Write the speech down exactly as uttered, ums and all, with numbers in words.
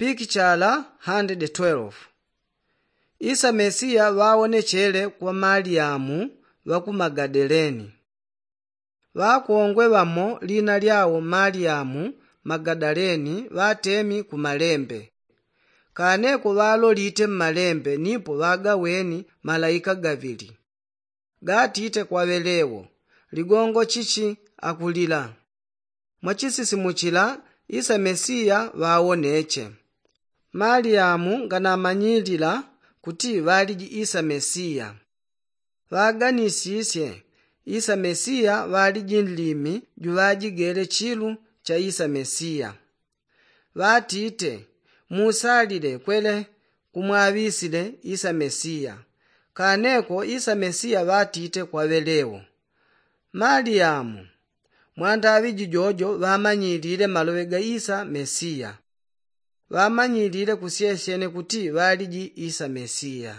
Pikichala hande de twelve. Isa mesiya ŵawonechele kwa maliyamu ŵa ku magadeleni. Ŵakongwe ŵamo lina lyawo maliyamu magadaleni ŵatemi ku malembe. Kaneko ŵalolite mmalembe nipo ŵagaweni malaika gaŵili, gatite kwa ŵelewo, ligongo chichi akulila? Mwachisisimuchila isa mesiya ŵawoneche. Maliyamu nganamanyilila kuti ŵaliji isa mesiya. Ŵaganisisye isa mesiya ŵaliji nlimi juŵajigele chilu cha isa mesiya. Ŵatite, musalile kwele kumwaŵisile isa mesiya. Kaneko isa mesiya ŵatite kwa ŵelewo, maliyamu. Mwandaŵi jijojo ŵamanyilile maloŵe ga isa mesiya. Ŵamanyilile kusyesyene kuti ŵaliji isa mesiya.